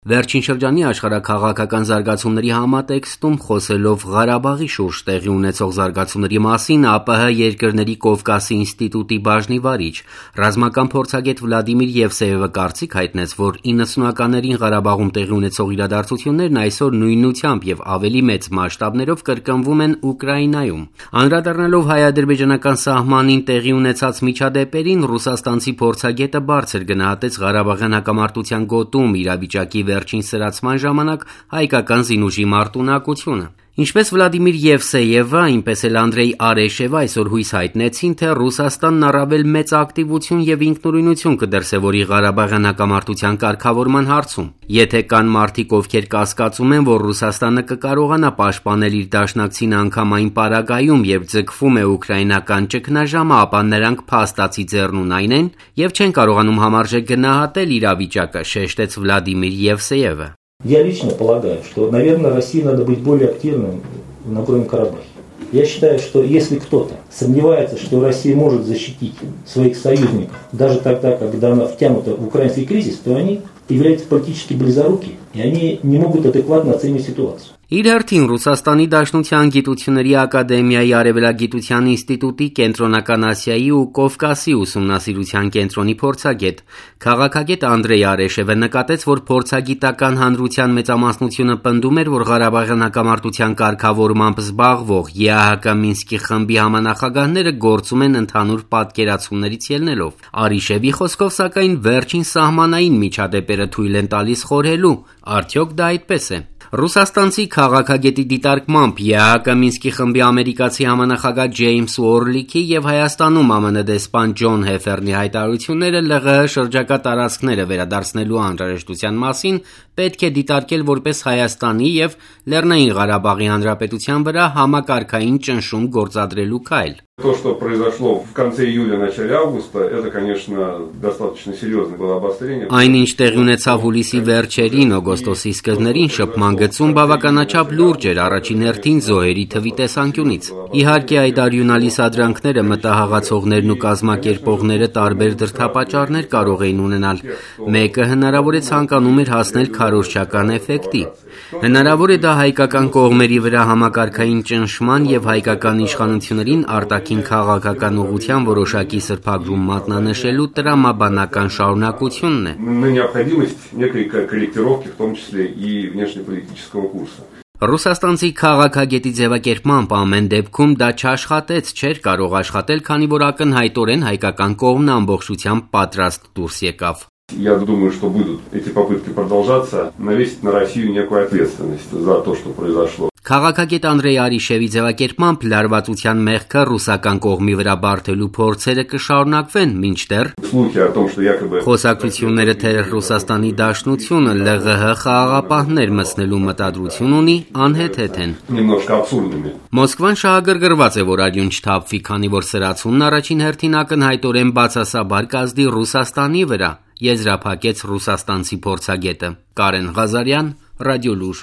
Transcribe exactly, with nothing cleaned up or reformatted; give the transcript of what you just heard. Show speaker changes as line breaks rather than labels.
Վերջին շրջանի աշխարհաքաղաքական զարգացումների համատեքստում խոսելով Ղարաբաղի շուրջ տեղի ունեցող զարգացումների մասին ԱՊՀ երկրների Կովկասի ինստիտուտի բաժնի վարիչ, ռազմական փորձագետ Վլադիմիր Եվսեևը կարծիք հայտնեց, որ իննսունականներին Ղարաբաղում տեղի ունեցող իրադարձություններն այսօր նույնությամբ եւ ավելի մեծ մասշտաբներով կրկնվում են Ուկրաինայում։ Անդրադառնալով հայ-ադրբեջանական սահմանին տեղի ունեցած միջադեպերին, ռուսաստանցի փորձագետը բարձր գնահատեց Ղարաբաղյան հակամարտության գոտում իրավիճակի վերջին սրացման ժամանակ հայկական զինուժի մարտունակությունը։ Ինչպես Վլադիմիր Եվսեևը, այնպես էլ Անդրեյ Արեշևը այսօր հույս հայտնեցին, թե Ռուսաստանն առավել մեծ ակտիվություն եւ ինքնուրույնություն կդրսեւորի Ղարաբաղյան հակամարտության կարգավորման հարցում։ Եթե կան մարդիկ, ովքեր կասկածում են, որ Ռուսաստանը կկարողանա պաշտպանել իր դաշնակցին անգամ այն պարագայում, երբ ձգվում է ուկրաինական ճգնաժամը, ապա նրանք փաստացի ձեռնունայն են եւ չեն կարողանում համարժեք գնահատել իրավիճակը, շեշտեց Վլադիմիր Եվսեևը։
Я лично полагаю, что, наверное, России надо быть более активным в Нагорном Карабахе. Я считаю, что если кто-то сомневается, что Россия может защитить своих союзников, даже тогда, когда она втянута в украинский кризис, то они являются политически близоруки, и они не могут адекватно оценивать ситуацию.
Իր հերթին Ռուսաստանի Դաշնության գիտությունների ակադեմիայի Արևելագիտության ինստիտուտի Կենտրոնական Ասիայի ու Կովկասի ուսումնասիրության կենտրոնի փորձագետ, քաղաքագետ Անդրեյ Արեշևը նկատեց, որ փորձագիտական հանրության մեծամասնությունը պնդում էր, որ Ղարաբաղյան հակամարտության կարգավորմամբ զբաղվող ԵԱՀԿ Մինսկի խմբի համանախագահները գործում են ընդհանուր պատկերացումներից ելնելով։ Արեշևի խոսքով, սակայն, վերջին սահմանային միջադեպերը թույլ են տալիս խորհելու, արդյոք դա այդպես է։ Ռուսաստանցի քաղաքագետի դիտարկմամբ ԵԱՀԿ Մինսկի խմբի ամերիկացի համանախագահ Ջեյմս Ուորլիքի եւ Հայաստանում ԱՄՆ դեսպան Ջոն Հեֆերնի հայտարարությունները ԼՂՀ շրջակա տարածքները վերադարձնելու անհրաժեշտության մասին պետք է դիտարկել որպես Հայաստանի եւ Լեռնային Ղարաբաղի Հանրապետության վրա համակարգային ճնշում գործադրելու քայլ։
То, что произошло в конце июля, начале августа, это, конечно, достаточно серьезное было обострение.
Այն ինչ տեղի ունեցավ հուլիսի վերջերին, օգոստոսի սկզբներին շփման գծում բավականաչափ լուրջ էր առաջին հերթին զոհերի թվի տեսանկյունից։ Իհարկե, այդ արյունալի սադրանքները մտահղացողներն ու կազմակերպողները տարբեր դրդապատճառներ կարող էին ունենալ։ Մեկը հնարավոր է ցանկանում էր հասնել քարոզչական էֆեկտի։ Հնարավոր է դա հայկական կողմերի վրա համակարգային ճնշման եւ հայկական իշխանություններին արտաքին քաղաքական ուղղության որոշակի սրբագրում մատնանշելու տրամաբանական շարունակությունն է։ Ռուսաստանցի քաղաքագետի ձևակերպմամբ ամեն դեպքում դա չաշխատեց, չէր կարող աշխատել, քանի որ ակնհայտորեն հայկական կողմն ամբողջությամբ պատրաստ դուրս եկավ։
Я думаю, что будут эти попытки продолжаться, навесить на Россию некую ответственность за то, что произошло.
Քաղաքագետ Անդրեյ Արեշևի ձևակերպմամբ լարվածության մեղքը ռուսական կողմի վրա բարթելու փորձերը կշարունակվեն, մինչդեռ խոսակցությունները թե Ռուսաստանի Դաշնությունը ԼՂՀ խաղաղապահներ մտցնելու մտադրություն ունի, անհեթեթ են։ Մոսկվան շահագրգռված է, որ արյուն չթափվի, քանի որ սրացումն առաջին հերթին ակնհայտորեն բացասաբար կազդի Ռուսաստանի վրա, եզրափակեց ռուսաստանցի փորձագետը։ Կարեն Ղազարյան, Ռադիոլուր։